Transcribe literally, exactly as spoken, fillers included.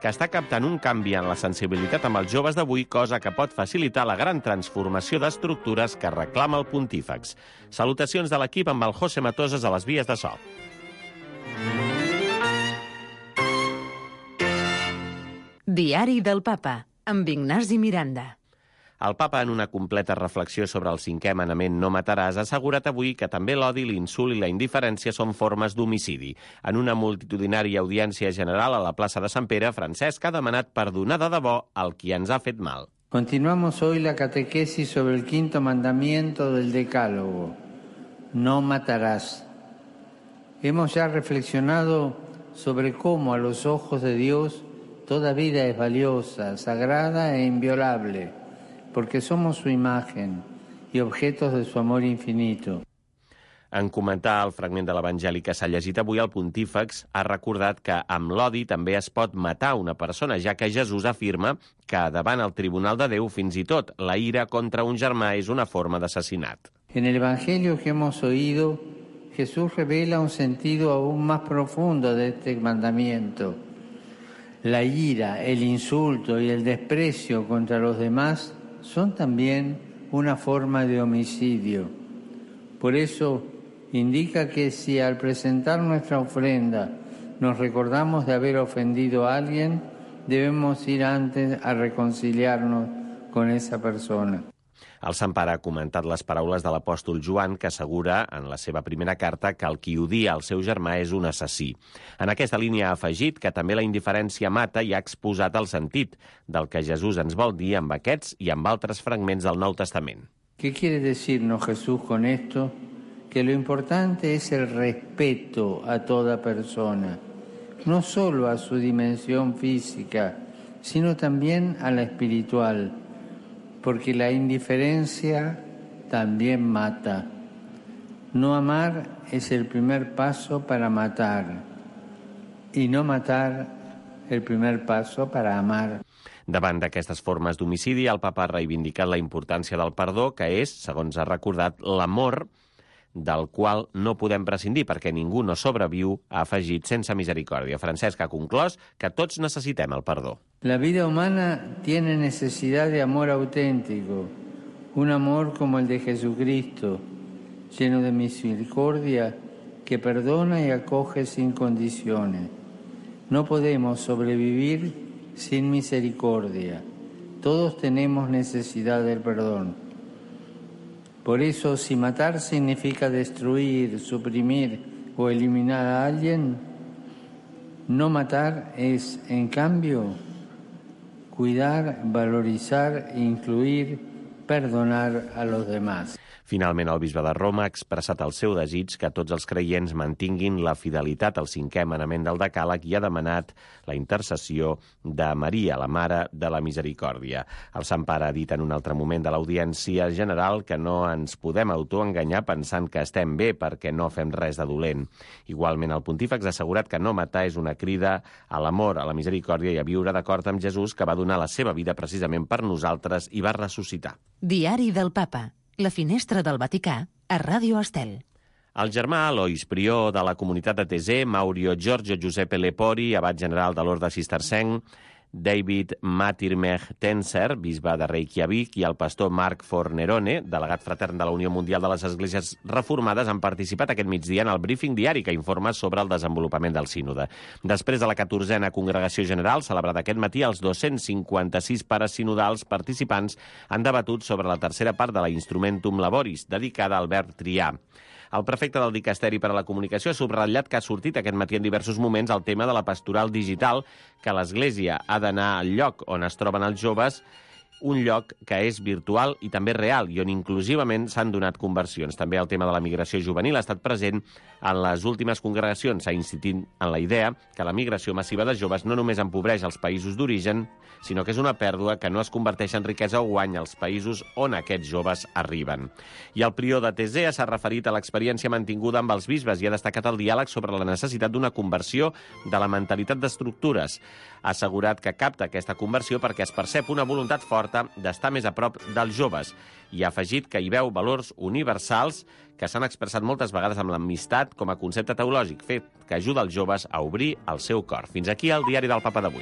que està captant un canvi en la sensibilitat amb els joves d'avui, cosa que pot facilitar la gran transformació d'estructures que reclama el pontífex. Salutacions de l'equip amb el José Matoses a les vies de so. Diari del Papa, amb Ignasi Miranda. El papa, en una completa reflexió sobre el cinquè manament no mataràs, ha assegurat avui que també l'odi, l'insult i la indiferència són formes d'homicidi. En una multitudinària audiència general a la plaça de Sant Pere, Francesc ha demanat perdonar de debò al qui ens ha fet mal. Continuamos hoy la catequesis sobre el quinto mandamiento del Decálogo. No matarás. Hemos ya reflexionado sobre cómo a los ojos de Dios toda vida es valiosa, sagrada e inviolable, porque somos su imagen y objetos de su amor infinito. En comentar el fragment de l'Evangeli que s'ha llegit avui, el pontífex ha recordat que amb l'odi també es pot matar una persona, ja que Jesús afirma que davant el tribunal de Déu fins i tot la ira contra un germà és una forma d'assassinat. En el Evangelio que hemos oído, Jesús revela un sentido aún más profundo de este mandamiento. La ira, el insulto y el desprecio contra los demás son también una forma de homicidio. Por eso indica que si al presentar nuestra ofrenda nos recordamos de haber ofendido a alguien, debemos ir antes a reconciliarnos con esa persona. El Sant Pare ha comentat les paraules de l'apòstol Joan, que assegura en la seva primera carta que el qui odia el seu germà és un assassí. En aquesta línia ha afegit que també la indiferència mata i ha exposat el sentit del que Jesús ens vol dir amb aquests i amb altres fragments del Nou Testament. ¿Qué quiere decirnos Jesús con esto? Que lo importante es el respeto a toda persona, no solo a su dimensión física, sino también a la espiritual, porque la indiferencia también mata. No amar es el primer paso para matar, y no matar el primer paso para amar. Davant d'aquestes formes d'homicidi, el papa ha reivindicat la importància del perdó, que és, segons ha recordat, l'amor del qual no podem prescindir, perquè ningú no sobreviu, ha afegit, sense misericòrdia. Francesc ha conclòs que tots necessitem el perdó. La vida humana tiene necesidad de amor auténtico, un amor como el de Jesucristo, lleno de misericordia, que perdona y acoge sin condiciones. No podemos sobrevivir sin misericordia. Todos tenemos necesidad del perdón. Por eso, si matar significa destruir, suprimir o eliminar a alguien, no matar es, en cambio, cuidar, valorizar, incluir, perdonar a los demás. Finalment, el bisbe de Roma ha expressat el seu desig que tots els creients mantinguin la fidelitat al cinquè manament del Decàleg i ha demanat la intercessió de Maria, la Mare de la Misericòrdia. El Sant Pare ha dit en un altre moment de l'audiència general que no ens podem autoenganyar pensant que estem bé perquè no fem res de dolent. Igualment, el pontífex ha assegurat que no matar és una crida a l'amor, a la misericòrdia i a viure d'acord amb Jesús, que va donar la seva vida precisament per nosaltres i va ressuscitar. Diari del Papa. La finestra del Vaticà, a Ràdio Estel. El germà Alois, prior de la comunitat de Thésée, Maurio Giorgio Giuseppe Lepori, abat general de l'Orde Cistercenc, David Matirmeh Tenser, bisbe de Reykjavik, i el pastor Marc Fornerone, delegat fratern de la Unió Mundial de les Esglésies Reformades, han participat aquest migdia en el briefing diari que informa sobre el desenvolupament del sínode. Després de la catorzena congregació general, celebrada aquest matí, els dos-cents cinquanta-sis pares sinodals participants han debatut sobre la tercera part de la Instrumentum Laboris, dedicada al verb triar. El prefecte del Dicasteri per a la Comunicació ha subratllat que ha sortit aquest matí en diversos moments el tema de la pastoral digital, que l'Església ha d'anar al lloc on es troben els joves, un lloc que és virtual i també real i on inclusivament s'han donat conversions. També el tema de la migració juvenil ha estat present en les últimes congregacions. S'ha insistit en la idea que la migració massiva de joves no només empobreix els països d'origen, sinó que és una pèrdua que no es converteix en riquesa o guany als països on aquests joves arriben. I el prior de Thésée s'ha referit a l'experiència mantinguda amb els bisbes i ha destacat el diàleg sobre la necessitat d'una conversió de la mentalitat d'estructures. Ha assegurat que capta aquesta conversió perquè es percep una voluntat forta d'estar més a prop dels joves i ha afegit que hi veu valors universals que s'han expressat moltes vegades amb l'amistat com a concepte teològic, fet que ajuda els joves a obrir el seu cor. Fins aquí el diari del Papa d'avui.